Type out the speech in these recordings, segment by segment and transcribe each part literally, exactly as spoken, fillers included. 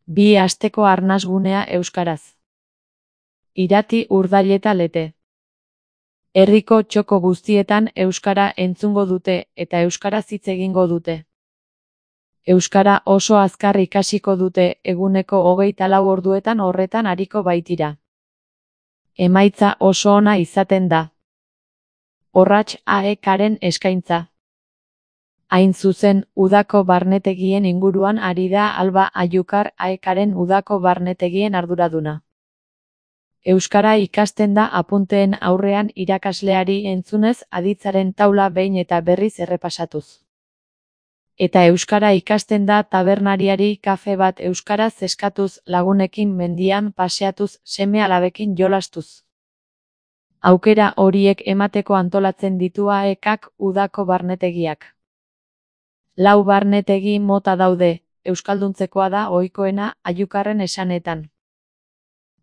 Bi asteko arnasgunea euskaraz. Irati Urdaileta Lete. Herriko txoko guztietan euskara entzungo dute eta euskaraz hitz egingo dute. Euskara oso azkar ikasiko dute, eguneko hogeita lau orduetan horretan ariko baitira. Emaitza oso ona izaten da. Orratx A E K-ren eskaintza. Hain zuzen, udako barnetegien inguruan ari da Alba Aiukar A E K-ren udako barnetegien arduraduna. Euskara ikasten da apunteen aurrean irakasleari entzunez aditzaren taula behin eta berriz errepasatuz. Eta euskara ikasten da tabernariari kafe bat euskaraz eskatuz, lagunekin mendian paseatuz, seme-alabekin jolastuz. Aukera horiek emateko antolatzen ditu A E K-k udako barnetegiak. Lau barnetegi mota daude, euskalduntzekoa da ohikoena Aiukarren esanetan.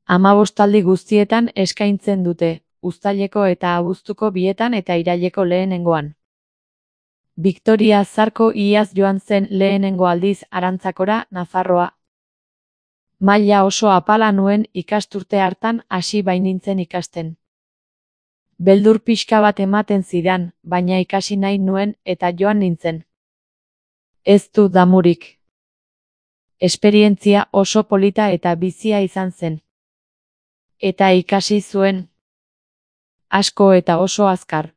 Hamabostaldi guztietan eskaintzen dute, uztaileko eta abuztuko bietan eta iraileko lehenengoan. Victoria Zarko iaz joan zen lehenengo aldiz Arantzakora, Nafarroa. Maila oso apala nuen ikasturte hartan hasi bainintzen ikasten. Beldur pixka bat ematen zidan, baina ikasi nahi nuen eta joan nintzen. Ez du damurik. Esperientzia oso polita eta bizia izan zen. Eta ikasi zuen. Asko eta oso azkar.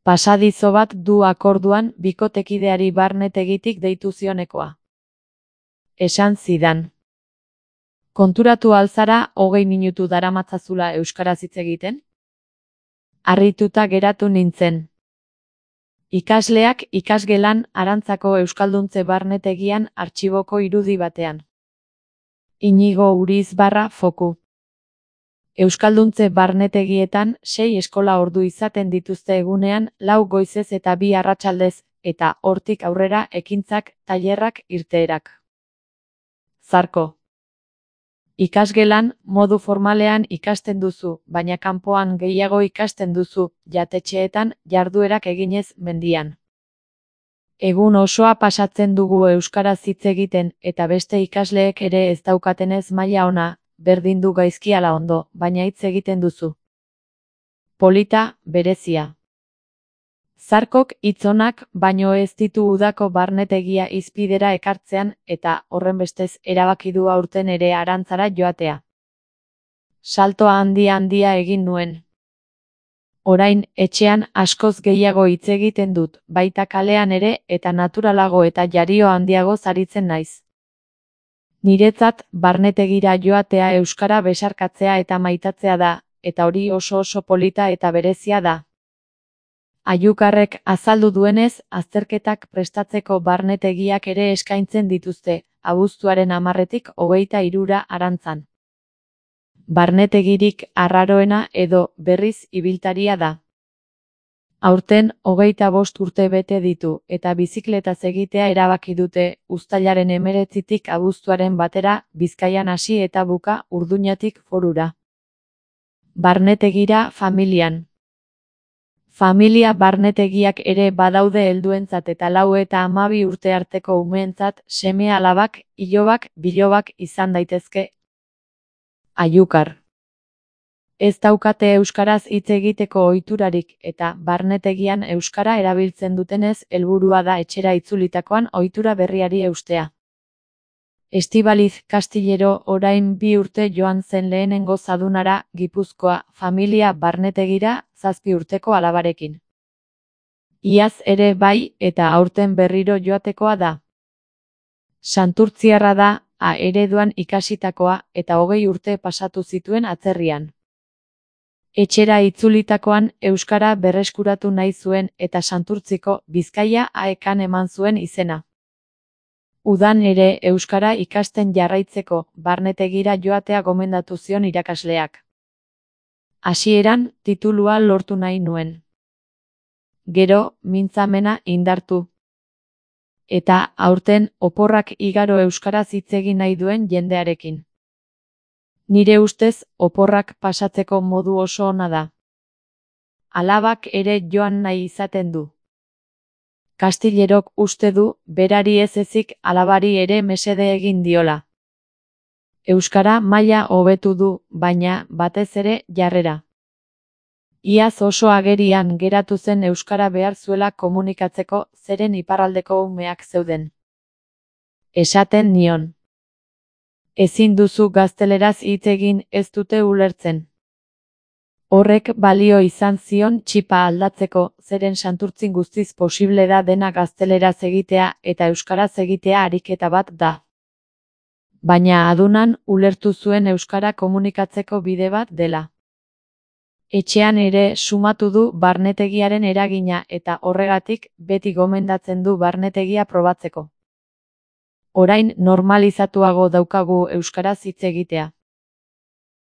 Pasadizo bat du akorduan bikotekideari barnetegitik deitu zionekoa. Esan zidan. Konturatu alzara hogei minutu daramatzazula euskaraz hitz egiten? Harrituta geratu nintzen. Ikasleak ikasgelan Arantzako euskalduntze barnetegian artxiboko irudi batean. Inigo Uriz barra foku. Euskalduntze barnetegietan sei eskola ordu izaten dituzte egunean, lau goizez eta bi arratsaldez, eta hortik aurrera ekintzak, tailerrak, irteerak. Zarko. Ikasgelan, modu formalean ikasten duzu, baina kanpoan gehiago ikasten duzu, jatetxeetan, jarduerak eginez mendian. Egun osoa pasatzen dugu euskaraz hitz egiten, eta beste ikasleek ere ez daukatenez maila ona, berdin du gaizki ala ondo, baina hitz egiten duzu. Polita, berezia. Zarkok hitz onak baino ez ditu udako barnetegia hizpidera ekartzean eta horrenbestez erabaki du aurten ere Arantzara joatea. Saltoa handia handia egin nuen. Orain, etxean askoz gehiago hitz egiten dut, baita kalean ere eta naturalago eta jario handiago zaritzen naiz. Niretzat, barnetegira joatea euskara besarkatzea eta maitatzea da, eta hori oso oso polita eta berezia da. Aiukarrek azaldu duenez, azterketak prestatzeko barnetegiak ere eskaintzen dituzte, abuztuaren hamarretik hogeita hirura Arantzan. Barnetegirik arraroena edo berriz ibiltaria da. Aurten hogeita bost urte bete ditu eta bizikletaz egitea erabaki dute uztailaren hemeretzitik abuztuaren batera Bizkaian hasi eta buka Urduñatik Forura. Barnetegira familian. Familia barnetegiak ere badaude helduentzat eta lau eta hamabi urte arteko umeentzat seme-alabak, ilobak, bilobak izan daitezke. Aiukar. Ez daukate euskaraz hitz egiteko ohiturarik eta barnetegian euskara erabiltzen dutenez helburua da etxera itzulitakoan ohitura berriari eustea. Estibaliz Kastillero orain bi urte joan zen lehenengo zadunara Gipuzkoa familia barnetegira zazpi urteko alabarekin. Iaz ere bai eta aurten berriro joatekoa da. Santurtziarra da, A ereduan ikasitakoa eta hogei urte pasatu zituen atzerrian. Etxera itzulitakoan euskara berreskuratu nahi zuen eta Santurtziko Bizkaia A E K-an eman zuen izena. Udan ere euskara ikasten jarraitzeko barnetegira joatea gomendatu zion irakasleak. Hasieran titulua lortu nahi nuen. Gero, mintzamena indartu. Eta aurten oporrak igaro euskaraz hitz egin nahi duen jendearekin. Nire ustez, oporrak pasatzeko modu oso ona da. Alabak ere joan nahi izaten du. Kastillerok uste du, berari ez ezik alabari ere mesede egin diola. Euskara maila hobetu du, baina, batez ere, jarrera. Iaz oso agerian geratu zen euskara behar zuela komunikatzeko, zeren iparraldeko umeak zeuden. Esaten nion. Ezin duzu gazteleraz hitz egin, ez dute ulertzen. Horrek balio izan zion txipa aldatzeko, zeren Santurtzin guztiz posible da dena gazteleraz egitea eta euskaraz egitea ariketa bat da. Baina adunan ulertu zuen euskara komunikatzeko bide bat dela. Etxean ere sumatu du barnetegiaren eragina eta horregatik beti gomendatzen du barnetegia probatzeko. Orain normalizatuago daukagu euskaraz hitz egitea.